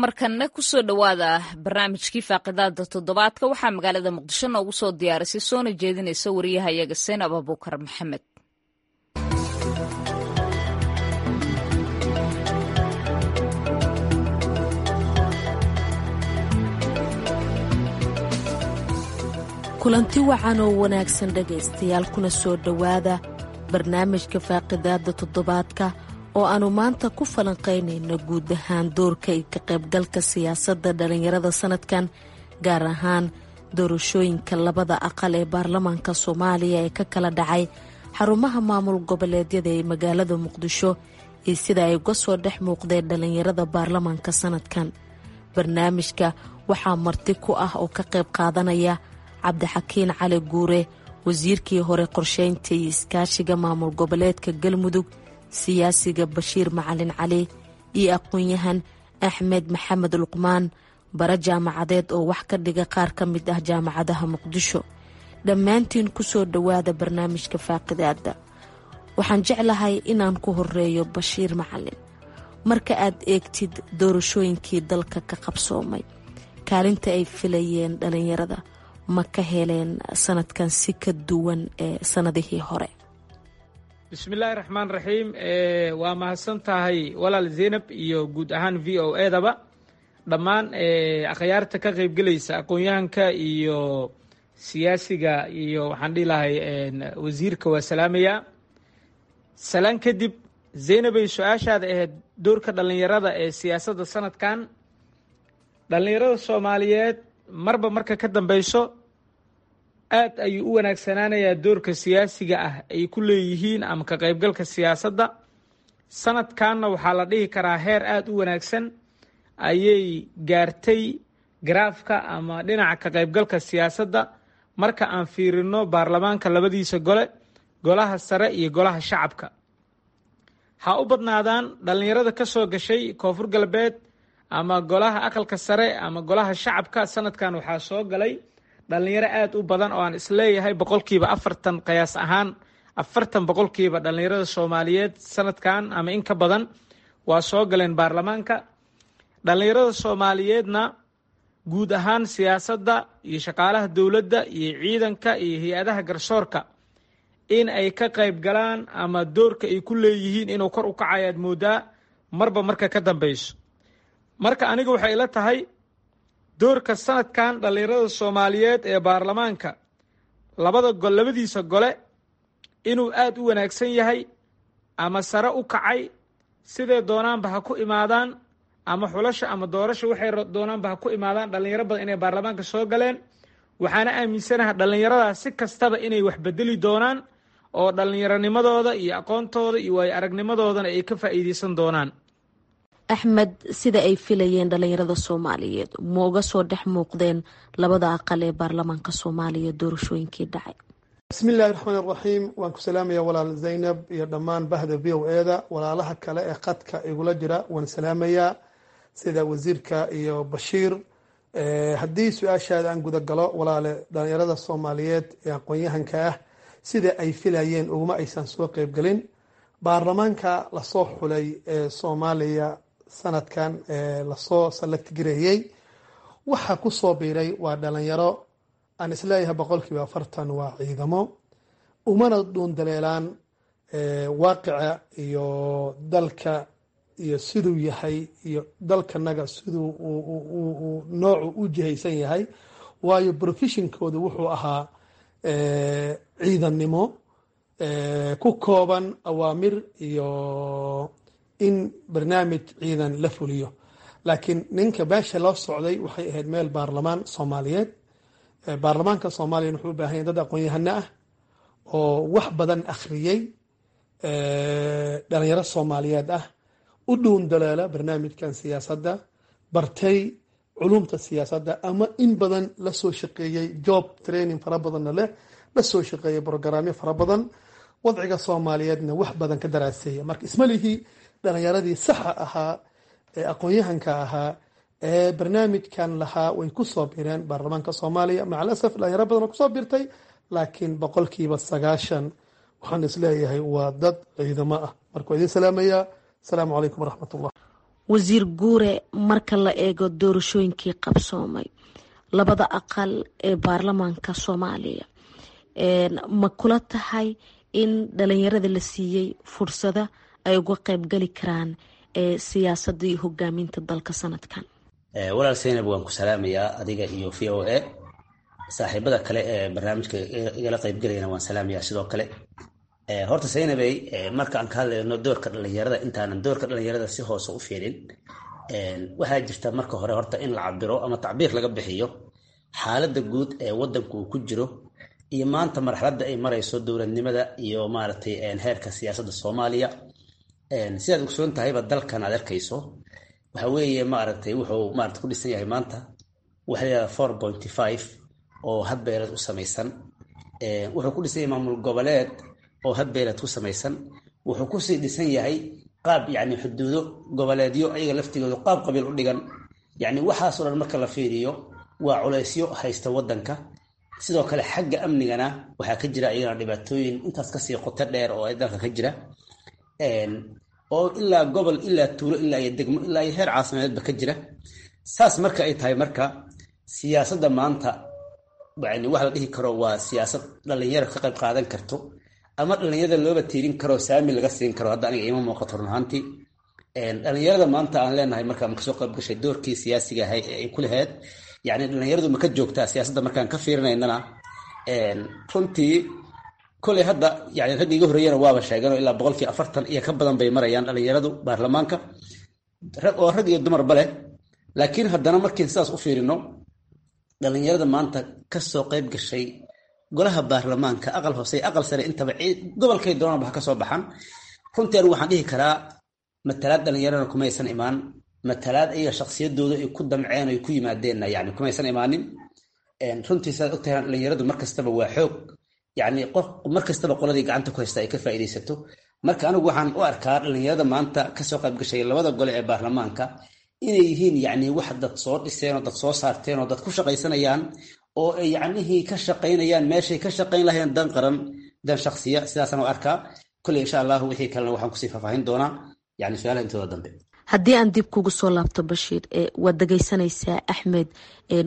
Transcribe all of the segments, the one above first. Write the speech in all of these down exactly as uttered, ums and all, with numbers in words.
Markanna kusoo dhowaada barnaamijkii faaqidaada toddobaadka. Waxaa magaalada Muqdisho noogu soo diyaarisay soona jeedinaysa wariyahayaga Seynab Abuukar Maxamed. Kulanti wacan oo wanaagsan, dhegaystayaal, kuna soo dhowaada barnaamijka faaqidaada toddobaadka oo aanu maanta ku falanqaynayno guud ahaan doorka iyo ka qaybgalka siyaasadda dhallinyarada sanadkan, gaar ahaan doorashooyinka labada aqal ee baarlamaanka Soomaaliya ee ka kala dhacay xarumaha maamul goboleedyada ee magaalada Muqdisho iyo sida ay uga soo dhex muuqdeen dhallinyarada baarlamaanka sanadkan. Barnaamijka waxaa marti ku ah oo ka qayb qaadanaya Cabdixakiin Cali Guure, wasiirkii hore qorsheynta iyo iskaashiga maamul goboleedka Galmudug, siyaasiga Bashiir Macalin Cali iyo aqoon-yahan Axmed Maxamed Luqmaan, bara jaamacadeed oo wax ka dhiga qaar ka mid ah jaamacadaha Muqdisho. Dhammaantiin kusoo dhowaada barnaamijka faaqidaada. Waxaan jeclahay inaan ku horeeyo Bashiir Macalin. Marka aad eegtid doorashooyinkii dalka ka qabsoomay, kaalinta ay filayeen dhalinyarada ma ka heleen sanadkan si ka duwan ee sanadihii hore? Bismillaahi raxmaan raxiim. Waa mahadsan tahay, walaal Zeynab, iyo guud ahaan V O A daba, dhammaan akhyaarta ka qaybgelaysa, aqoon-yahanka iyo siyaasiga iyo waxaan dhihi lahay wasiirka, waa salaamayaa. Salaan kadib, Zeynabay, su-aashaada ahayd doorka dhallinyarada ee siyaasadda sanadkan, dhallinyarada Soomaaliyeed marba marka ka dambeyso aad ayuu u wanaagsanaanayaa doorka siyaasiga ah ay ku leeyihiin ama ka qaybgalka siyaasadda. Sanadkanna waxaa la dhihi karaa heer aada u wanaagsan ayay gaartay garaafka ama dhinaca ka qaybgalka siyaasadda marka aan fiirino baarlamaanka labadiisa gole, golaha sare iyo golaha shacabka. Ha u badnaadaan dhallinyarada ka soo gashay Koonfur Galbeed ama golaha aqalka sare ama golaha shacabka. Sanadkan waxaa soo galay dhallinyaro aada u badan oo aan isleeyahay boqolkiiba afartan, qiyaas ahaan afartan boqolkiiba dhallinyarada Soomaaliyeed sanadkan ama in ka badan waa soo galeen baarlamaanka. Dhallinyarada Soomaaliyeedna guud ahaan siyaasadda iyo shaqaalaha dowladda iyo ciidanka iyo hay-adaha garsoorka in ay ka qayb galaan ama doorka ay ku leeyihiin inuu kor u kacayaad moodaa marba marka ka dambeyso. Marka aniga waxay ila tahay doorka sanadkan dhallinyarada Soomaaliyeed ee baarlamaanka labada gol, labadiisa gole, inuu aada u wanaagsan yahay ama sare u kacay. Sidee doonaanba ha ku imaadaan, ama xulasha ama doorasha waxay doonaanba ha ku imaadaan, dhallinyaro badan inay baarlamaanka soo galeen. Waxaana aaminsanaha dhallinyaradaas si kastaba inay wax bedeli doonaan oo dhallinyaronimadooda iyo aqoontooda iyo waayo aragnimadoodana ay ka faa'iideysan doonaan. Axmed, sida ay filayeen dhallinyarada Soomaaliyeed ma uga soo dhex muuqdeen labada aqal ee baarlamaanka Soomaaliya doorashooyinkii dhacay? Bismi illahi raxmaan raxiim. Waan ku salaamaya, walaal Zaynab, iyo dhammaan bahda V O A da. Walaalaha kale ee qadka igula jira waan salaamayaa, sida wasiirka iyo Bashiir. Haddii su-aashaada aan guda galo, walaale, dhalinyarada Soomaaliyeed ee aqoon-yahanka ah sida ay filayeen uguma aysan soo qeybgelin baarlamaanka lasoo xulay ee Soomaaliya sanadkan lasoo select gareeyey. Waxaa ku soo biiray waa dhalinyaro aan isleeyahay boqolkiiba afartan waa ciidamo, umana dhuundaleelaan waaqica iyo dalka iyo siduu yahay iyo dalkanaga siduu noocu u jihaysan yahay, waayo professionkoodu wuxuu ahaa ciidannimo ku kooban awaamir iyo in barnaamij ciidan la fuliyo. Laakiin ninka meesha loo socday waxay ahayd meel baarlamaan Soomaaliyeed. Baarlamaanka Soomaaliya wuxuu u baahan yahay dad aqoon-yahano ah oo wax badan akhriyey, dhalinyaro Soomaaliyeed ah, u dhuun daleela barnaamijkan siyaasadda, bartay culumta siyaasadda ama in badan la soo shaqeeyey, job training fara badanna leh, la soo shaqeeyey programyo fara badan, wadciga Soomaaliyeedna wax badan ka daraaseeya. Marka isma lihi dhalinyaradii saxa ahaa ee aqoon-yahanka ahaa ee barnaamijkan lahaa way ku soo bireen baarlamaanka Soomaaliya. Macal asaf, dhalinyaro badan oo kusoo birtay, laakiin boqolkiiba sagaashan waxaan isleeyahay waa dad ciidamo ah. Marka waa idin salaamayaa. Asalaamu calaykum waraxmat ullah. Wasiir Guure, marka la eego doorashooyinkii qabsoomay labada aqal ee baarlamaanka Soomaaliya, ma kula tahay in dhalinyarada la siiyey fursada ay uga qeybgali karaan siyaasadda iyo hogaaminta dalka sanadkan? Walaal Saynab, waan ku salaamayaa adiga iyo V O A, saaxiibada kale ee barnaamijka igala qeybgelayana waan salaamayaa sidoo kale. Horta Saynabey, marka aan ka hadlayno doorka dhalinyarada, intaanan doorka dhalinyarada si hoose u fiirin, waxaa jirta marka hore horta in la cabiro ama tacbiir laga bixiyo xaaladda guud ee wadanku uu ku jiro iyo maanta marxaladda ay marayso dowladnimada iyo maaragtay heerka siyaasadda Soomaaliya. Sidaad ogsoon tahayba, dalkan aad arkayso waxa weeye maaragtay wuxuu maarata ku dhisan yahay maanta waxa la yihahda four pointy five oo habbeeleed u samaysan. Wuxuu ku dhisan yahay maamul goboleed oo habbeeleed ku samaysan. Wuxuu kusii dhisan yahay qaab yacni xuduudo goboleedyo ayaga laftigooda qaab qabiil u dhigan. Yacni waxaasoo dhan marka la fiiriyo waa culaysyo haysta waddanka. Sidoo kale xagga amnigana waxaa ka jira iyagana dhibaatooyin intaas kasii qoto dheer oo dalka ka jira, oo ilaa gobol, ilaa tuulo, ilaa iyo degmo, ilaa iyo heer caasimadeedba ka jira. Saas marka ay tahay, marka siyaasadda maanta yani wax la dhihi karo waa siyaasad dhalinyaro ka qayb qaadan karto ama dhalinyarada looba tiirin karo, saami laga siin karo, hadda aniga ima muuqato run ahaantii. Dhalinyarada maanta aan leenahay marka ma kasoo qayb gashay doorkii siyaasiga ahay ee ay ku lahayd, yacni dhalinyaradu ma ka joogtaa siyaasadda markaan ka fiirinaynana, runtii koley hadda yani ragga iga horreeyana waaba sheeganoo ilaa boqolkii afartan iyo ka badan bay marayaan dhalinyaradu baarlamaanka, oo rag iyo dumarba leh. Laakiin haddana markiin sidaas u fiirino, dhalinyarada maanta kasoo qayb gashay golaha baarlamaanka, aqal hoose, aqal sare, intaba gobolkay doonanba ha kasoo baxan, runtii anigu waxaan dhihi karaa matalaad dhalinyarana kumaysan imaan, matalaad ayaga shaksiyadooda ay ku damceen ay ku yimaadeenna yani kumaysan imaanin. Runtii sidaad ogtahay, dhalinyaradu mar kastaba waa xoog, yacni qof mar kastaba qoladii gacanta ku haysta ay ka faa'iidaysato. Marka anigu waxaan u arkaa dhalinyarada maanta kasoo qayb gashay labada gole ee baarlamaanka inay yihiin yacni wax dad soo dhiseen oo dad soo saarteen oo dad ku shaqaysanayaan oo ay yacnihii ka shaqaynayaan meeshay ka shaqayn lahayeen dan qaran, dan shaksiya. Sidaasaan u arkaa. Kolley insha Allahu wixii kalena waxaan kusii faahfaahin doonaa yani su-aalaha intooda dambe. Haddii aan dib kugu soo laabto Bashiir, waad dhegeysanaysaa Axmed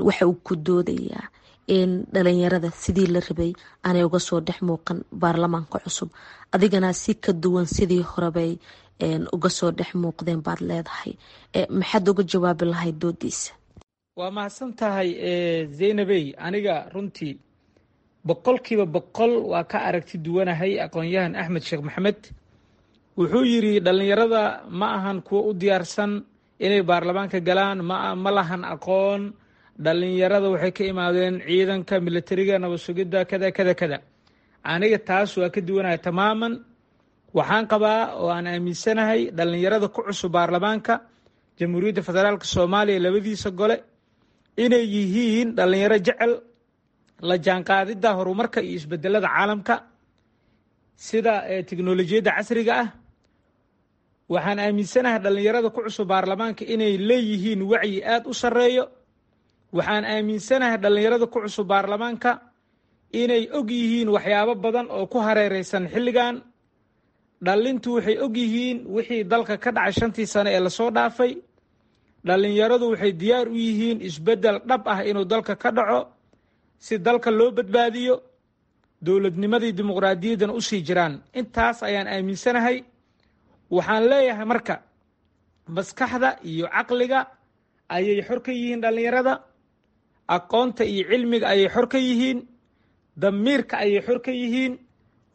waxa uu ku doodayaa in dhalinyarada sidii la rabay aanay uga soo dhex muuqan baarlamaanka cusub, adigana si ka duwan sidii horebay uga soo dhex muuqdeen baad leedahay. Maxaad uga jawaabi lahayd doodiisa? Waa mahadsan tahay Zaynabey. Aniga runtii boqolkiiba boqol waa ka aragti duwanahay aqoon-yahan Axmed Sheekh Maxamed. Wuxuu yidhi dhallinyarada ma ahan kuwo u diyaarsan inay baarlamaanka galaan, ma ma lahan aqoon, dhallinyarada waxay ka imaadeen ciidanka militariga, nabad sugidda, kada kada kada. Aniga taas waa ka duwanahay tamaaman. Waxaan qabaa oo aan aaminsanahay dhallinyarada ku cusub baarlamaanka Jamhuuriyadda Federaalka Soomaaliya labadiisa gole inay yihiin dhallinyaro jecel la jaanqaadidda horumarka iyo isbedelada caalamka, sida teknolojiyadda casriga ah. Waxaan aaminsanahay dhallinyarada ku cusub baarlamaanka inay leeyihiin wacyi aada u sarreeyo. Waxaan aaminsanahay dhallinyarada ku cusub baarlamaanka inay og yihiin waxyaabo badan oo ku hareereysan xilligan. Dhallintu waxay og yihiin wixii dalka ka dhacay shantii sano ee lasoo dhaafay. Dhallinyaradu waxay diyaar u yihiin isbeddel dhab ah inuu dalka ka dhaco si dalka loo badbaadiyo, dowladnimadii dimuqraadiyaddana usii jiraan. Intaas ayaan aaminsanahay. Waxaan leeyahay marka maskaxda iyo caqliga ayay xor ka yihiin dhallinyarada, aqoonta iyo cilmiga ayay xor ka yihiin, damiirka ayay xor ka yihiin.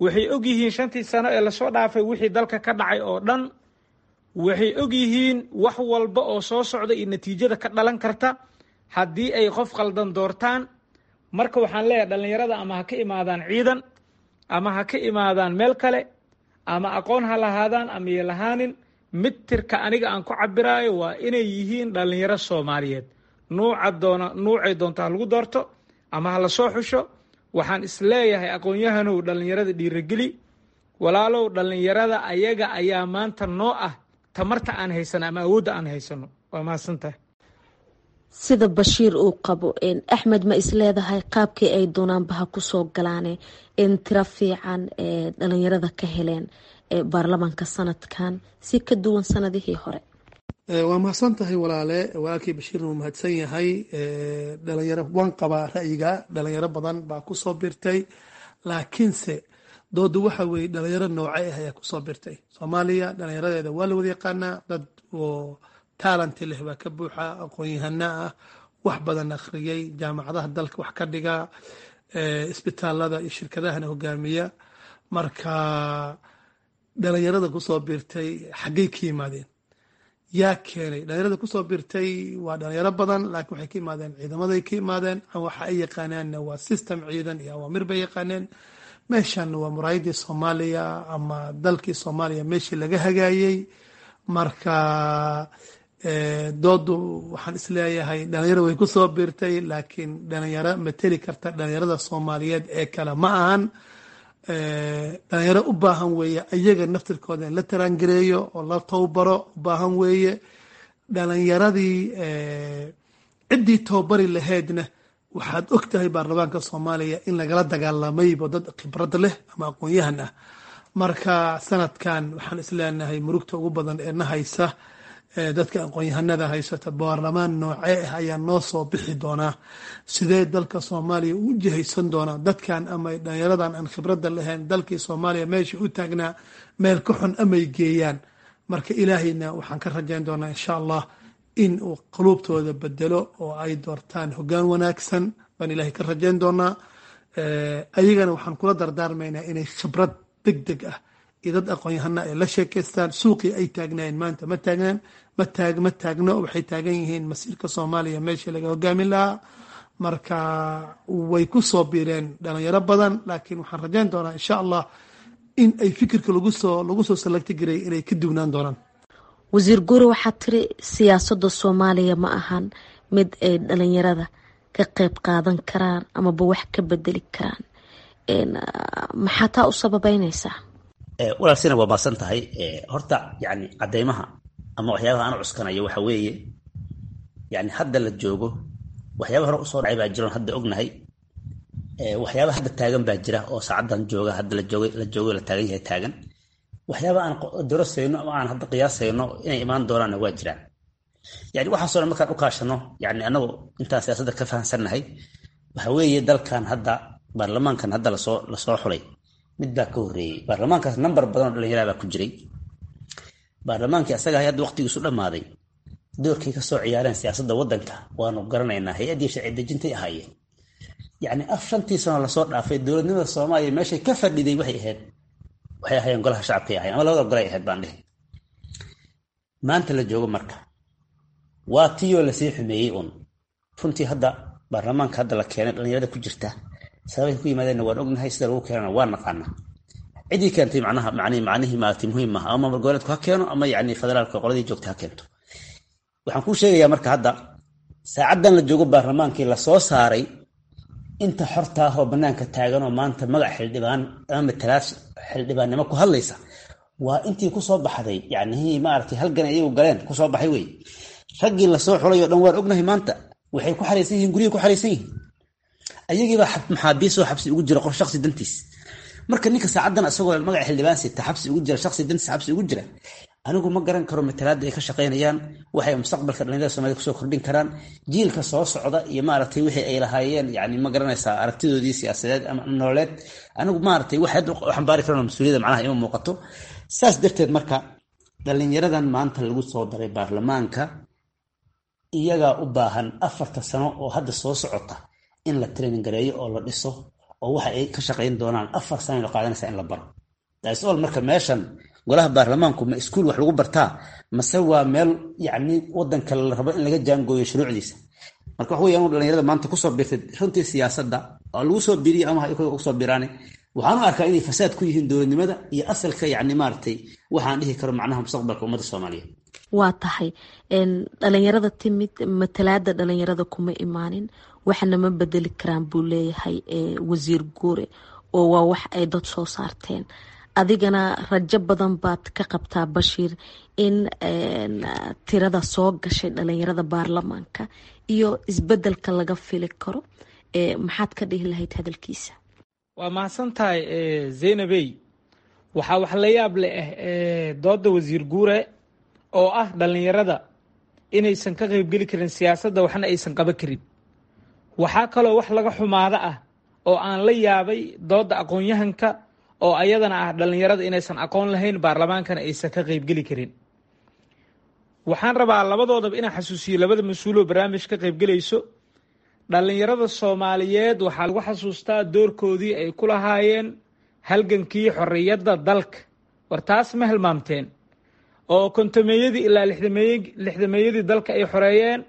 Waxay og yihiin shantii sano ee lasoo dhaafay wixii dalka ka dhacay oo dhan. Waxay og yihiin wax walba oo soo socda iyo natiijada ka dhalan karta haddii ay qof qaldan doortaan. Marka waxaan leeyahay dhallinyarada ama ha ka imaadaan ciidan ama ha ka imaadaan meel kale, ama aqoon ha lahaadaan ama iyo lahaanin, mitirka aniga aan ku cabiraayo waa inay yihiin dhallinyaro Soomaaliyeed. Nuuca doona nuucay doonta ha lagu doorto ama ha lasoo xusho. Waxaan isleeyahay aqoon-yahanow dhallinyarada dhiirageli, walaalow dhallinyarada ayaga ayaa maanta noo ah tamarta aan haysano ama awoodda aan haysano. Waa mahadsantahay. Sida Bashiir uu qabo, Axmed, ma isleedahay qaabkii ay doonaanba ha kusoo galaane in tiro fiican ee dhalinyarada ka heleen baarlamaanka sanadkan si ka duwan sanadihii hore? Waa mahadsan tahay walaale, walaalkii Bashiirna wuu mahadsan yahay. Dhalinyaro waan qabaa ra'yiga, dhalinyaro badan baa kusoo birtay, laakiinse doodu waxa weeye dhalinyaro noocee ah ayaa kusoo birtay Soomaaliya? Dhalinyaradeeda waa la wada yaqaanaa, dad oo talent leh baa ka buuxa, aqoon-yahana ah, wax badan akhriyay, jaamacadaha dalka wax ka dhiga, isbitaalada iyo shirkadahana hogaamiya. Marka dhalinyarada kusoo biirtay xaggay ka yimaadeen? Yaa keenay dhalinyarada kusoo biirtay? Waa dhalinyaro badan, laakiin waxay ka yimaadeen ciidamaday ka yimaadeen. Waxa ay yaqaanaanna waa system ciidan iyo awaamir bay yaqaaneen. Meeshan waa muraayadii Soomaaliya ama dalkii Soomaaliya meeshii laga hagaayey. Marka doodu waxaan isleeyahay dhalinyaro way kusoo biirtay, laakiin dhalinyaro mateli karta dhalinyarada Soomaaliyeed ee kale ma ahan. Dhalinyaro u baahan weeye ayaga naftirkooda in la taraangareeyo oo la towbaro u baahan weeye. Dhalinyaradii ciddii towbari lahaydna waxaad og tahay baarlamaanka Soomaaliya in lagala dagaalamaybo dad khibrad leh ama aqoon-yahan ah. Marka sanadkan waxaan isleenahay murugta ugu badan ee na haysa dadka aqoon-yahanada haysata, baarlamaan noocee ah ayaa noo soo bixi doonaa? Sidee dalka Soomaaliya u jihaysan doonaa dadkan ama dhalinyaradan aan khibradda lahayn? Dalkii Soomaaliya meesha u taagnaa meel ka xun amay geeyaan. Marka Ilaahayna waxaan ka rajayn doonaa, insha Allah, in uu quluubtooda bedelo oo ay doortaan hoggaan wanaagsan baan Ilaahay ka rajayn doonaa. Ayagana waxaan kula dardaarmaynaa inay khibrad deg deg ah iyo dad aqoon-yahana ay la sheekaystaan. Suuqii ay taagnaayeen maanta ma taagnaan, ma taag ma taagno. Waxay taagan yihiin masiirka Soomaaliya meeshii laga hogaamin lahaa. Marka way ku soo biireen dhalinyaro badan, laakiin waxaan rajayn doonaa, insha Allah, in ay fikirka lagu soo lagu soo select garay inay ka duwnaan doonaan. Wasiir Guure, waxaad tiri siyaasadda Soomaaliya ma ahan mid ay dhalinyarada ka qeyb qaadan karaan amaba wax ka bedeli karaan. Maxaa taa u sababeyneysaa? Walaal sina, waa maasan tahay. Horta yani cadeymaha ama waxyaabaha aan cuskanayo waxa weeye, yani hadda la joogo waxyaaba hore usoo dhacay baa jiroon hadda ognahay, waxyaaba hadda taagan baa jira oo saacaddan jooga, hadda la joogay la joogo la taagan yahay taagan. Waxyaaba aan dorasayno ama aan hadda qiyaasayno inay imaan doonaanna waa jiraan. Yani waxaasoo dhan markaan u kaashano, yani anagu intaan siyaasadda ka fahansannahay, waxa weeye dalkan hadda baarlamaankan hadda lasoo lasoo xulay mid baa ka horreeyey. Baarlamaankaas nambar badan oo dhallinyaraa baa ku jiray. Baarlamaankii asaga hadda waqtigiisu dhammaaday doorkay ka soo ciyaareen siyaasadda waddanka waanu garanaynaa, hay-addii sharci dejintay ahaayeen. Yacni af shantii sano lasoo dhaafay dowladnimada Soomaaliya meeshay ka fadhiday waxay ahayd waxay ahaayeen golaha shacabkay ahayen ama labada golay ahayd baan dhihi. Maanta la joogo marka waa tiyoo lasii xumeeyey uun. Runtii hadda baarlamaanka hadda la keenay dhalinyarada ku jirta sababay ku yimaadeenna waan ognahay, sida lagu keenana waan naqaanaa. Ciddii keentay macnaha macnihi macnihii maaragtay muhiim maaha, ama maamul goboleedku ha keeno ama yacni federaalka qoladii joogta ha keento. Waxaan kuu sheegayaa marka hadda saacaddan la joogo baarlamaankii lasoo saaray inta xorta ah oo bannaanka taagan oo maanta magac xildhibaan ama matalaad xildhibaannimo ku hadlaysa waa intii kusoo baxday, yacnihii maaragtay halgan iyagu galeen kusoo baxay wey. Raggii lasoo xulay oo dhan waan ognahay maanta waxay ku xaraysan yihiin guryahay ku xaraysan yihiin, ayagiibaa maxaabiisoo xabsi ugu jira qof shaksi dantiis. Marka ninka saacaddan isagoo magaca xildhibaan sita xabsi ugu jira, shaksi dantiis xabsi ugu jira, anigu ma garan karo matalaadda ay ka shaqaynayaan, waxay mustaqbalka dhalinyarada Soomaalida kusoo kordhin karaan jiilka soo socda iyo maaragtay wixii ay lahaayeen, yani ma garanaysaa aragtidoodii siyaasadeed ama nololeed. Anigu maaragtay wax hadda u xambaari karaan mas-uuliyadda macnaha ima muuqato. Saas darteed marka dhalinyaradan maanta lagu soo daray baarlamaanka iyagaa u baahan afarta sano oo hadda soo socota in la training gareeyo oo la dhiso, oo waxa ay ka shaqayn doonaan afar sano la qaadanaysaa in la baro. That's all. Marka meeshan golaha baarlamaanku ma iskuul wax lagu bartaa mase waa meel yacni wadanka la rabo in laga jaangooyo shuruucdiisa? Marka wax weeyaan dhalinyarada maanta kusoo biirtay runtii siyaasadda oo lagu soo biiriyo ama ha kusoo biiraane, waxaan u arkaa inay fasaad ku yihiin dowladnimada iyo asalka, yacni maaragtay waxaan dhihi karo macnaha mustaqbalka ummadda Soomaaliyeed. Waa tahay, dhalinyarada timid matalaada dhalinyarada kuma imaanin, waxna ma bedeli karaan buu leeyahay wasiir Guure, oo waa wax ay dad soo saarteen. Adigana rajo badan baad ka qabtaa, Bashiir, in tirada soo gashay dhalinyarada baarlamaanka iyo isbedelka laga fili karo. Maxaad ka dhihi lahayd hadalkiisa? Waa mahadsan tahay, Zaynabey. Waxaa wax la yaab leh ah dooda wasiir Guure oo ah dhalinyarada Inaysan ka qaybgeli karin siyaasadda, waxna aysan qaban karin. Waxaa kaloo wax laga xumaado ah oo aan la yaabay doodda aqoon-yahanka oo ayadana ah dhallinyarada inaysan aqoon lahayn, baarlamaankana aysan ka qaybgeli karin. Waxaan rabaa labadoodaba inaan xasuusiyo, labada mas-uuloo barnaamij ka qaybgelayso: dhallinyarada Soomaaliyeed waxaa lagu xasuustaa doorkoodii ay ku lahaayeen halgankii xorriyadda dalka. War taas ma hilmaamteen? Oo kontomeeyadii ilaa lixdameey lixdameeyadii dalka ay xoreeyeen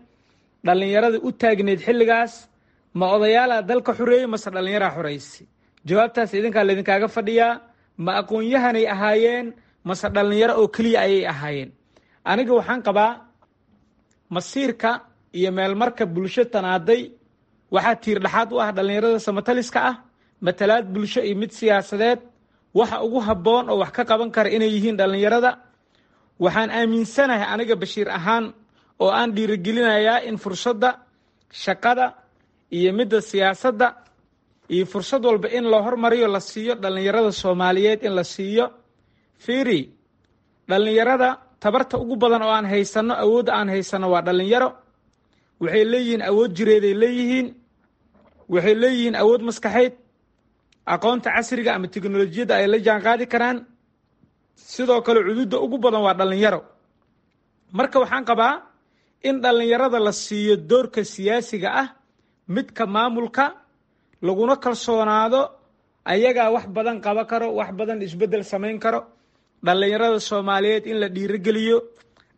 dhallinyaradii u taagneyd xilligaas. Ma odayaalaa dalka xoreeyey mase dhallinyaraa xoreysay? Jawaabtaas idinkaa laydinkaaga fadhiyaa. Ma aqoon-yahanay ahaayeen mase dhallinyaro oo keliya ayay ahaayeen? Aniga waxaan qabaa masiirka iyo meelmarka bulsho tanaaday waxaa tiir dhexaad u ah dhallinyarada samataliska ah, matalaad bulsho iyo mid siyaasadeed. Waxa ugu habboon oo wax ka qaban kara inay yihiin dhallinyarada. Waxaan aaminsanahay aniga Bashiir ahaan oo aan dhiirigelinayaa in fursadda shaqada iyo midda siyaasadda iyo fursad walba in la hormariyo, la siiyo dhallinyarada Soomaaliyeed, in la siiyo. Fiiri, dhallinyarada tabarta ugu badan oo aan haysano, awoodda aan haysano waa dhallinyaro. Waxay leeyihiin awood jireeday leeyihiin, waxay leeyihiin awood maskaxeyd, aqoonta casriga ama teknolojiyadda ay la jaan qaadi karaan. Sidoo kale cududda ugu badan waa dhallinyaro. Marka waxaan qabaa in dhallinyarada la siiyo doorka siyaasiga ah, midka maamulka, laguna kalsoonaado. Ayagaa wax badan qaba karo, wax badan isbeddel samayn karo. Dhallinyarada Soomaaliyeed in la dhiirogeliyo.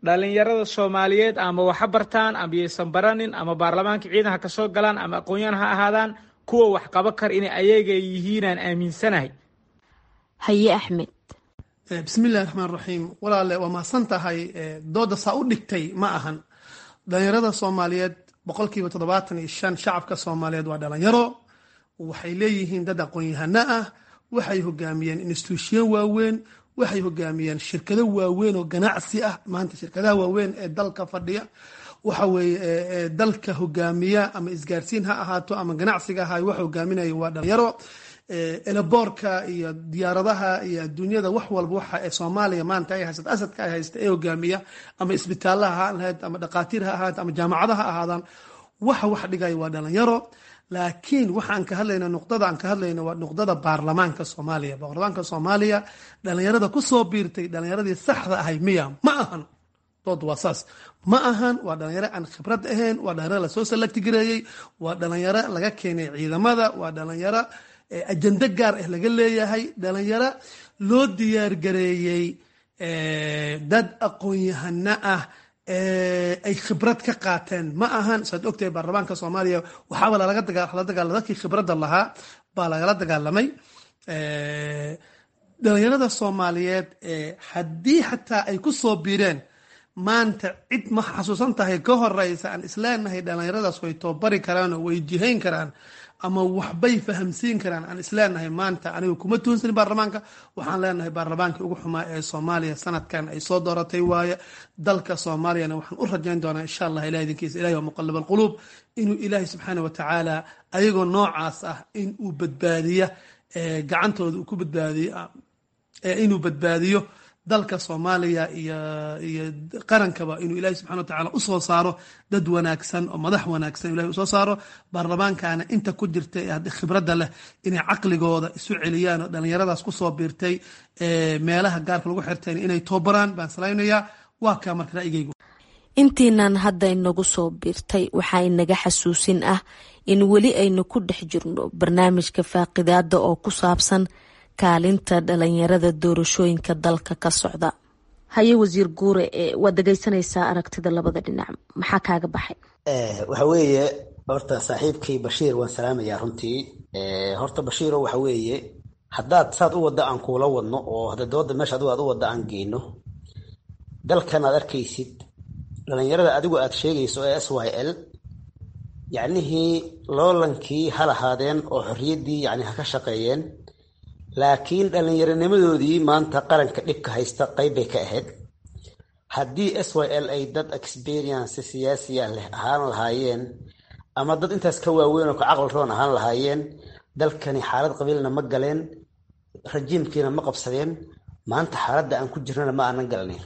Dhallinyarada Soomaaliyeed ama waxa bartaan ama yaysan baranin, ama baarlamaanka ciidan ha ka soo galaan ama aqoon-yahan ha ahaadaan, kuwa wax qaba kara inay ayaga yihiinaan aaminsanahay. Haye Axmed. Bismi illahi raxmaan raxiim. Walaale, waa mahadsan tahay. Dooda saa u dhigtay ma ahan. Dhalinyarada Soomaaliyeed, boqolkiiba toddobaatan iyo shan shacabka Soomaaliyeed waa dhalinyaro. Waxay leeyihiin dad aqoon-yahano ah, waxay hogaamiyeen institution waaweyn, waxay hogaamiyeen shirkado waaweyn oo ganacsi ah. Maanta shirkadaha waaweyn ee dalka fadhiya waxa weeye dalka hogaamiya, ama isgaarsiin ha ahaato ama ganacsiga ahaay, wax hogaaminaya waa dhalinyaro. Airport-ka iyo diyaaradaha iyo adduunyada, wax walba waxa ee Soomaaliya maanta ay haysato, asadka ay haysta ee hogaamiya, ama isbitaalaha ha ahayd, ama dhaqaatiir ha ahaat, ama jaamacadaha ha ahaadaan, waxa wax dhigaya waa dhalinyaro. Laakiin waxaan ka hadlayna, nuqdada aan ka hadlayna waa nuqdada baarlamaanka Soomaaliya. Baarlamaanka Soomaaliya dhalinyarada kusoo biirtay dhalinyaradii saxda ahay miya? Ma ahan. Dood waa saas, ma ahan. Waa dhalinyaro aan khibrad ahayn, waa dhalinyaro lasoo select gareeyey, waa dhalinyaro laga keenay ciidamada, waa dhalinyaro ajando gaar ah laga leeyahay, dhalinyaro loo diyaar gareeyey dad aqoon-yahano ah ay khibrad ka qaateen ma ahan. Saad ogtahay, baarlamaanka Soomaaliya waxaaba lalaga dagaala dadkii khibradda lahaa baa lagala dagaalamay. Dhalinyarada Soomaaliyeed haddii xataa ay ku soo biireen maanta, cid ma xasuusan tahay ka horeysa aan isleenahay dhalinyaradaas way tababari karaan oo way jihayn karaan ama waxbay fahamsiin karaan aan isleenahay maanta? Aniga kuma tuunsanin baarlamaanka. Waxaan leenahay baarlamaankii ugu xumaa ee Soomaaliya sanadkan ay soo dooratay waaye. Dalka Soomaaliyana waxaan u rajayn doonaa, insha Allah, ilahay idinkiisa, ilahi waa muqallib alquluub, inuu Ilaahay subxaana wa tacaala ayagoo noocaas ah in uu badbaadiya gacantooda uu ku badbaadiyo, inuu badbaadiyo dalka Soomaaliya iyo iyo qarankaba, inuu Ilahi subxana wa tacala usoo saaro dad wanaagsan oo madax wanaagsan ilahi usoo saaro. Baarlamaankana inta ku jirta ee haddi khibradda leh inay caqligooda isu celiyaan oo dhalinyaradaas kusoo biirtay meelaha gaarka lagu xirtayn inay tababaraan baan salaynayaa. Waa kaa marka ra'yigaygu. Intiinan hadda inagu soo biirtay, waxaa inaga xasuusin ah in weli aynu ku dhex jirno barnaamijka faaqidaada oo ku saabsan kaalinta dhalinyarada doorashooyinka dalka ka socda. Haye wasiir Guure, waad dhegeysanaysaa aragtida labada dhinac, maxaa kaaga baxay? Waxa weeye, horta saaxiibkii Bashiir waan salaamayaa runtii. Horta Bashiiro, waxa weeye haddaad saad u wadda aan kuula wadno oo hadda dooda meesha adigu aad u wadda aan geyno, dalkan aad arkaysid dhalinyarada adigu aad sheegayso ee S Y L, yacnihii loolankii ha lahaadeen oo xorriyaddii yani ha ka shaqeeyeen, laakiin dhallinyaronimadoodii maanta qaranka dhibka haysta qayb bay ka ahayd. Haddii S Y L ay dad experience siyaasiya leh ahaan lahaayeen ama dad intaas ka waaweyn oo ka caqli roon ahaan lahaayeen, dalkani xaalad qabiilna ma galeen, rajiimkiina ma qabsadeen, maanta xaaladda aan ku jirnana ma aanan galnayn.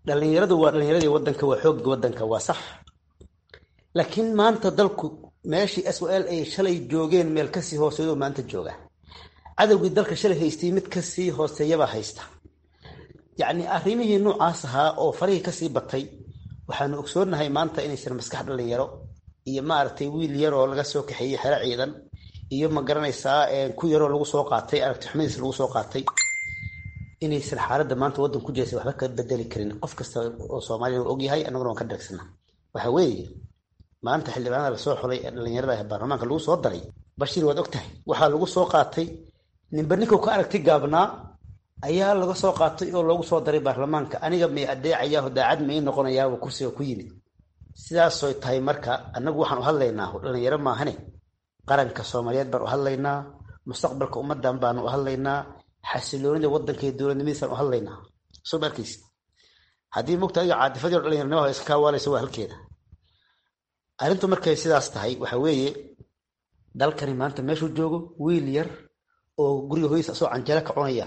Dhalinyaradu waa dhalinyaradii wadanka, waa xoogga wadanka, waa sax. Laakiin maanta dalku meeshii S O L ay shalay joogeen meel kasii hooseeyo maanta jooga. Cadowgii dalka shalay haystay mid kasii hooseeyabaa haysta. Yacni arrimihii noocaas ahaa oo farihii kasii batay, waxaanu ogsoonahay maanta inaysan maskax dhalinyaro iyo maaragtay wiil yaroo laga soo kaxeeyey xero ciidan iyo ma garanaysaa ku yaroo lagu soo qaatay aragti xumadiis lagu soo qaatay, inaysan xaaladda maanta waddan ku jiraysa waxba ka bedeli karin. Qof kasta oo Soomaaliya uu ogyahay, annaguna waan ka dharagsana. Waxa weeye, maanta xildhibaanada lasoo xulay ee dhalinyarada ee baarlamaanka lagu soo daray, Bashiir, waad ogtahay, waxaa lagu soo qaatay ninba ninkuu ka aragti gaabnaa ayaa laga soo qaatay oo loogu soo daray baarlamaanka. Aniga may adeecayaa, daacad may noqonayaa kursiga ku yimid. Sidaasoy tahay marka annagu waxaan u hadlaynaa dhalinyaro maahane, qaranka Soomaaliyeed baan u hadlaynaa, mustaqbalka ummadan baanu u hadlaynaa, xasiloonida wadanka iyo dowladnimadiisaan u hadlaynaa. Soo ma arkaysid? Haddii mugta adiga caadifadii oo dhalinyaronimada iska kaawaalaysa, waa halkeeda arrintu. Markay sidaas tahay, waxa weeye dalkani maanta meeshuu joogo, wiil yar oo guriga hooyadiis asoo canjeelo ka cunaya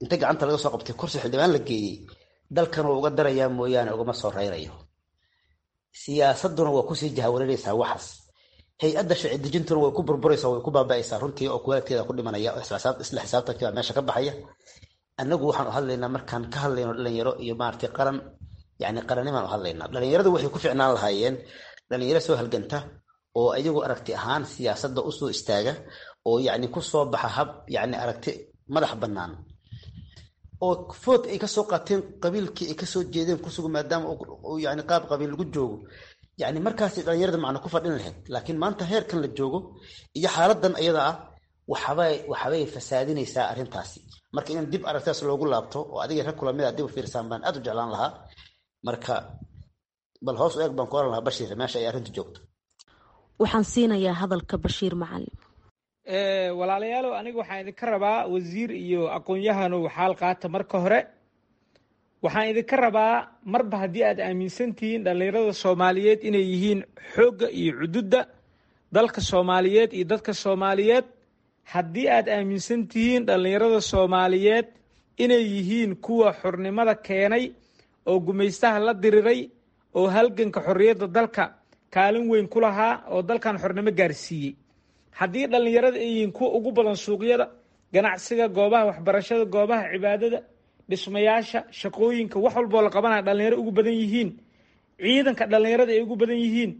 inta gacanta laga soo qabtay kursi xildhibaan la geeyey, dalkan wuu uga darayaa mooyaane ugama soo rayrayo. Siyaasaduna waa kusii jahawareeraysaa waxaas, hay-adda sharci dejintuna way ku burburaysaa, way ku baaba'aysaa runtii, oo kuwaalkeeda ku dhimanaya oo isla xisaabtankii baa meesha ka baxaya. Annagu waxaan u hadlaynaa, markaan ka hadlayno dhalinyaro iyo maaragtay qaran, yacni qarannimaan u hadlaynaa. Dhalinyaradu waxay ku ficnaan lahaayeen dhalinyaro soo halganta oo iyagu aragti ahaan siyaasadda usoo istaaga oo yacni ku soo baxa hab yacni aragti madax bannaan oo food ay kasoo qaateen qabiilkii ay kasoo jeedeen kusugu, maadaama uu yani qaab qabiil lagu joogo. Yani markaasay dhalinyarada macno ku fadhin lahayd. Laakiin maanta heerkan la joogo iyo xaaladan iyada ah waxbay waxbay fasaadinaysaa arrintaasi. Marka in dib aragtidaas loogu laabto oo adiga rag kula mid a dib u fiirsaan baan aad u jeclaan lahaa. Marka bal hoos u eeg baan ku oran lahaa, Bashiir, meesha ay arrintu joogto. Waxaan siinayaa hadalka Bashiir Macalin. Walaalayaalow, aniga waxaan idinka rabaa, wasiir iyo aqoon-yahanow, xaal qaata. Marka hore waxaan idinka rabaa, marba haddii aad aaminsan tihiin dhallinyarada Soomaaliyeed inay yihiin xoogga iyo cududda dalka Soomaaliyeed iyo dadka Soomaaliyeed, haddii aad aaminsan tihiin dhallinyarada Soomaaliyeed inay yihiin kuwa xornimada keenay oo gumaystaha la diriray oo halganka xorriyadda dalka kaalin weyn ku lahaa oo dalkan xornimo gaarsiiyey, haddii dhallinyarada ay yihiin kuwa ugu badan suuqyada ganacsiga, goobaha waxbarashada, goobaha cibaadada, dhismayaasha, shaqooyinka, wax walboo la qabanaya dhalinyaro ugu badan yihiin, ciidanka dhallinyarada ay ugu badan yihiin,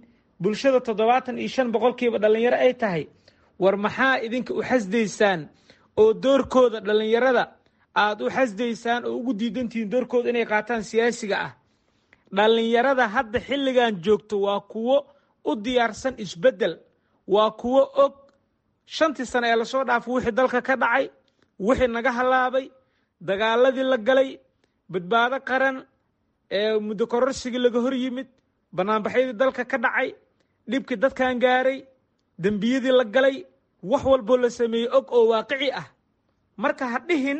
bulshada toddobaatan iyo shan boqolkiiba dhallinyaro ay tahay, war maxaa idinka u xasdaysaan oo doorkooda dhallinyarada aada u xasdaysaan oo ugu diidantihiin doorkooda inay qaataan siyaasiga ah? Dhallinyarada hadda xilligan joogto waa kuwo u diyaarsan isbeddel, waa kuwo og shantii sano ee lasoo dhaafo wixii dalka ka dhacay, wixii naga halaabay, dagaaladii la galay, Badbaado Qaran, ee muddo kororsigii laga hor yimid, banaanbaxyadii dalka ka dhacay, dhibkii dadkan gaaray, dembiyadii la galay, wax walboo la sameeyey og oo waaqici ah. Marka ha dhihin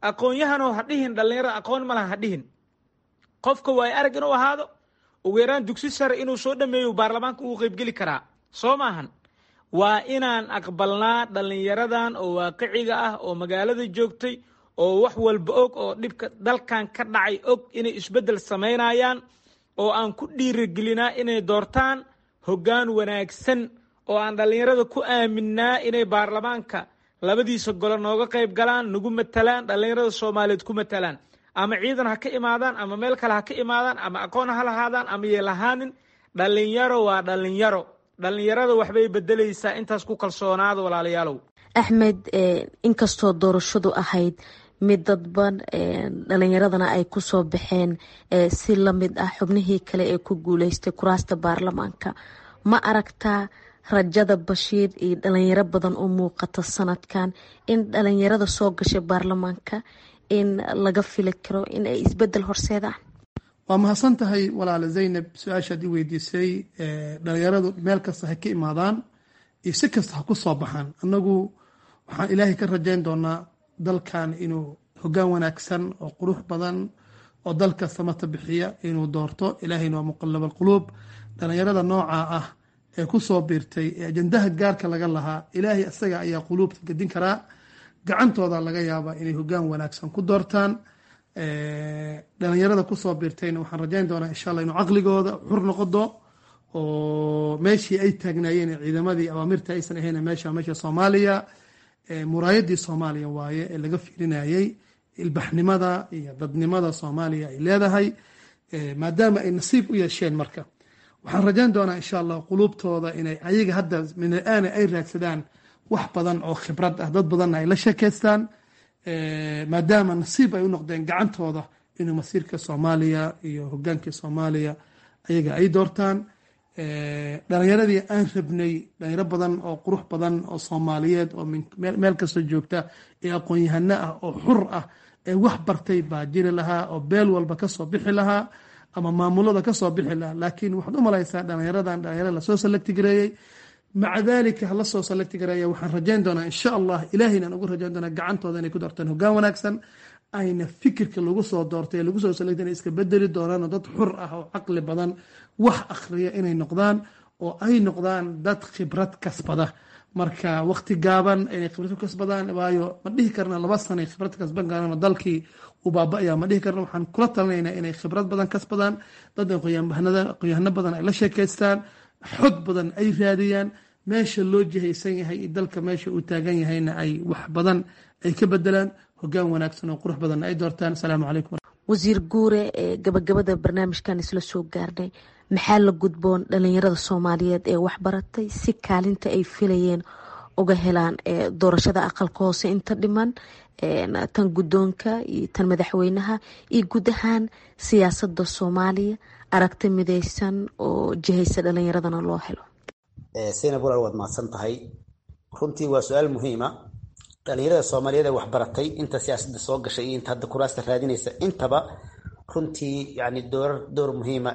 aqoon-yahanoo, ha dhihin dhallinyarada aqoon ma laha, ha dhihin. Qofka waay arag inuu ahaado, ugu yaraan dugsi sare inuu soo dhameeyo baarlamaanka ugu qaybgeli karaa, soo maahan? Waa inaan aqbalnaa dhallinyaradan oo waaqiciga ah oo magaalada joogtay oo wax walba og oo dhibka dalkan ka dhacay og inay isbeddel samaynayaan, oo aan ku dhiirigelinaa inay doortaan hoggaan wanaagsan, oo aan dhallinyarada ku aaminnaa inay baarlamaanka labadiisa gole nooga qayb galaan, nagu matalaan, dhallinyarada Soomaaliyeed ku matalaan. Ama ciidan ha ka imaadaan ama meel kale ha ka imaadaan, ama aqoon ha lahaadaan ama yeelahaanin, dhallinyaro waa dhallinyaro. Dhallinyarada waxbay bedelaysaa, intaas ku kalsoonaada, walaalayaalow. Axmed, inkastoo doorashadu ahayd mid dadban, dhalinyaradana ay kusoo baxeen si lamid ah xubnihii kale ee ku guuleystay kuraasta baarlamaanka, ma aragtaa rajada Bashiir iyo dhalinyaro badan u muuqata sanadkan in dhalinyarada soo gashay baarlamaanka in laga fili karo in ay isbedel horseedaan? Waa mahadsan tahay, walaale Zaynab, su-aashaad i weydiisay. Dhalinyaradu meel kasta ha ka imaadaan iyo si kasta ha ku soo baxaan, annagu waxaan Ilaahay ka rajayn doonaa dalkan inuu hoggaan wanaagsan oo qurux badan oo dalka samata bixiya inuu doorto. Ilaahayna waa muqallab alquluub. Dhalinyarada noocaa ah ee ku soo biirtay ee ajandaha gaarka laga lahaa, Ilaahay isaga ayaa quluubta gedin karaa. Gacantooda laga yaabaa inay hoggaan wanaagsan ku doortaan. Dhalinyarada kusoo biirtayna waxaan rajayn doonaa insha Allah inuu caqligooda xur noqodo, oo meeshii ay taagnaayeen ciidamadii awaamirta aysan ahayn. Meesha meesha Soomaaliya, muraayadii Soomaaliya waaye ee laga fiirinayay ilbaxnimada iyo dadnimada Soomaaliya ay leedahay. Maadaama ay nasiib u yeesheen, marka waxaan rajayn doonaa insha Allah quluubtooda inay ayaga hadda min alaana ay raadsadaan wax badan oo khibrad ah, dad badanna ay la sheekeystaan, maadaama nasiib ay u noqdeen gacantooda inuu masiirka Soomaaliya iyo hogaankii Soomaaliya ayaga ay doortaan. Dhalinyaradii aan rabnay, dhalinyaro badan oo qurux badan oo Soomaaliyeed oo meel kastoo joogta ee aqoon-yahano ah oo xur ah ee wax bartay baa jiri lahaa, oo beel walba kasoo bixi lahaa ama maamulada kasoo bixi lahaa. Laakiin waxaad u malaysaa dhalinyaradan dhalinyaro lasoo select gareeyey. Maca dalika hala soo select gareeya, waxaan rajayn doonaa insha Allah, ilaahayna aan ugu rajayn doonaa gacantooda inay ku doortaan hoggaan wanaagsan, ayna fikirka lagu soo doortay lagu soo select inay iska bedeli doonaan, oo dad xur ah oo caqli badan, wax akhriya inay noqdaan, oo ay noqdaan dad khibrad kasbada. Marka waqti gaaban inay khibrad ku kasbadaan, waayo ma dhihi karna laba sanay khibrad kasban karaan oo dalkii uu baaba'aya, ma dhihi karna. Waxaan kula talinaynaa inay khibrad badan kasbadaan, dad aqoonyahano badan ay la sheekaystaan, xog badan ay raadiyaan, meesha loo jihaysan yahay iyo dalka meesha uu taagan yahayna ay wax badan ay ka bedelaan, hoggaan wanaagsan oo qurux badanna ay doortaan. Asalaamu calaykum. Wasiir Guure, ee gabagabada barnaamijkan isla soo gaarnay, maxaa la gudboon dhalinyarada Soomaaliyeed ee waxbaratay si kaalinta ay filayeen uga helaan doorashada aqalka hoose inta dhiman, tan guddoonka iyo tan madaxweynaha iyo guud ahaan siyaasada Soomaaliya, aragti mideysan oo jihaysa dhalinyaradana loo helo? Saynab walaal, waad mahadsan tahay. Runtii waa su-aal muhiima. Dhalinyarada Soomaaliyeed ee waxbaratay, inta siyaasadda soo gashay iyo inta hadda kuraasta raadinaysa intaba, runtii yani door door muhiima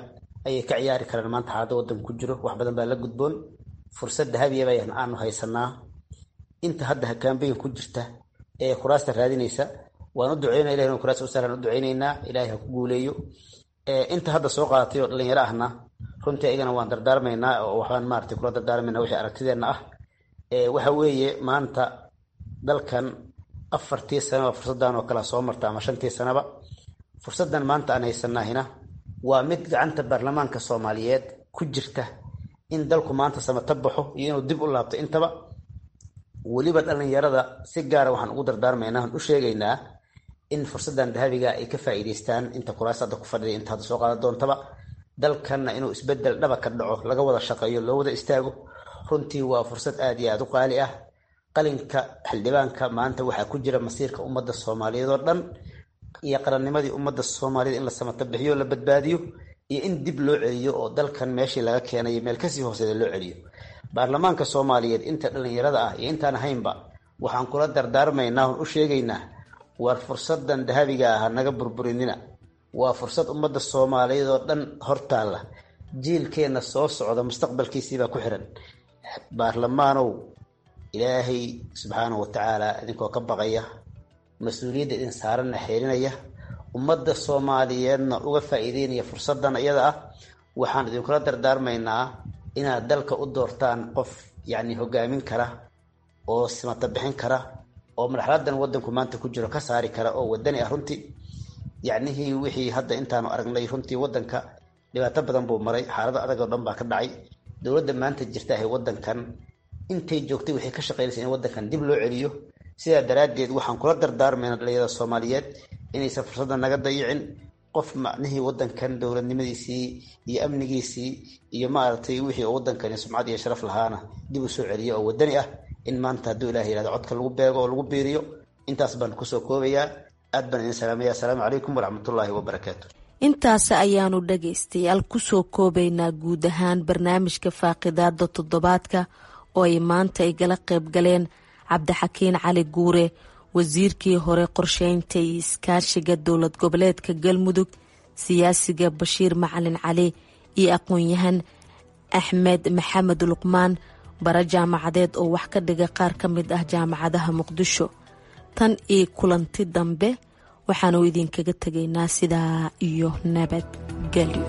ayay ka ciyaari karaan maanta xaaladda waddanka ku jiro. Wax badan baa la gudboon, fursad dahabiya baa aanu haysanaa. Inta hadda campaign ku jirta ee kuraasta raadinaysa waan u duceynaa, ilahi inuu kuraasta u sahlan u duceynaynaa, Ilahay ha ku guuleeyo. Inta hadda soo qaadatay oo dhalinyaro ahna runtii ayagana waan dardaarmaynaa, oo waxbaan maaragtay kula dardaarmaynaa wixii aragtideenna ah. Waxa weeye, maanta dalkan afartii sanaba fursaddan oo kale soo marta ama shantii sanaba. Fursaddan maanta aan haysanahina waa mid gacanta baarlamaanka Soomaaliyeed ku jirta in dalku maanta samata baxo iyo inuu dib u laabto intaba. Weliba dhalinyarada si gaara waxaan ugu dardaarmaynaa, waxaan u sheegaynaa in fursaddan dahabiga ay ka faa'iidaystaan, inta kuraas hadda ku fadhiday, inta hadda soo qaadan doontaba, dalkanna inuu isbedel dhaba ka dhaco laga wada shaqeeyo, loo wada istaago. Runtii waa fursad aada iyo aada u qaali ah. Qalinka xildhibaanka maanta waxaa ku jira masiirka ummadda Soomaaliyeed oo dhan iyo qarannimadii ummadda Soomaaliyeed, in la samata bixiyo, la badbaadiyo, iyo in dib loo celiyo oo dalkan meeshii laga keenayo meel kasii hooseeda loo celiyo. Baarlamaanka Soomaaliyeed inta dhalinyarada ah iyo intaan ahaynba waxaan kula dardaarmaynaa oon u sheegaynaa: war fursadan dahabiga ah naga burburinina. Waa fursad ummadda Soomaaliyeed oo dhan hortaalla, jiilkeenna soo socda mustaqbalkiisiibaa ku xiran. Baarlamaanow, Ilaahay subxaanahu watacaala idinkoo ka baqaya, mas-uuliyadda idin saaranna xeerinaya, ummadda Soomaaliyeedna uga faa'iideynaya fursaddan iyada ah, waxaan idinkula dardaarmaynaa inaad dalka u doortaan qof yacni hogaamin kara oo simata bixin kara oo marxaladan waddanku maanta ku jiro ka saari kara oo wadani ah. Runtii yacnihii wixii hadda intaanu aragnay, runtii waddanka dhibaato badan buu maray, xaalado adag oo dhan baa ka dhacay. Dowladda maanta jirta ahay waddankan intay joogtay waxay ka shaqeynaysa in waddankan dib loo celiyo. Sidaa daraaddeed waxaan kula dardaarmayna dhalinyarada Soomaaliyeed inaysan fursadda naga dayicin. Qof macnihii waddankan dowladnimadiisii iyo amnigiisii iyo maaragtay wixii oo waddankani sumcad iyo sharaf lahaana dib u soo celiyo oo waddani ah in maanta hadduu Ilaah yihahdo codka lagu beego oo lagu biiriyo. Intaas baan kusoo koobayaa. Aad baan idin salaamaya. Asalaamu calaykum waraxmatullaahi wabarakaatu. Intaas ayaanu dhagaystayaal kusoo koobaynaa guud ahaan barnaamijka faaqidaada toddobaadka oo ay maanta igala qayb galeen Cabdixakiin Cali Guure, wasiirkii hore qorsheynta iyo iskaashiga dowlad goboleedka Galmudug, siyaasiga Bashiir Macalin Cali iyo aqoon-yahan Axmed Maxamed Luqmaan, bara jaamacadeed oo wax ka dhiga qaar ka mid ah jaamacadaha Muqdisho. Tan iyo kulanti dambe, waxaanu idinkaga tegaynaa sidaa iyo nabadgelyo.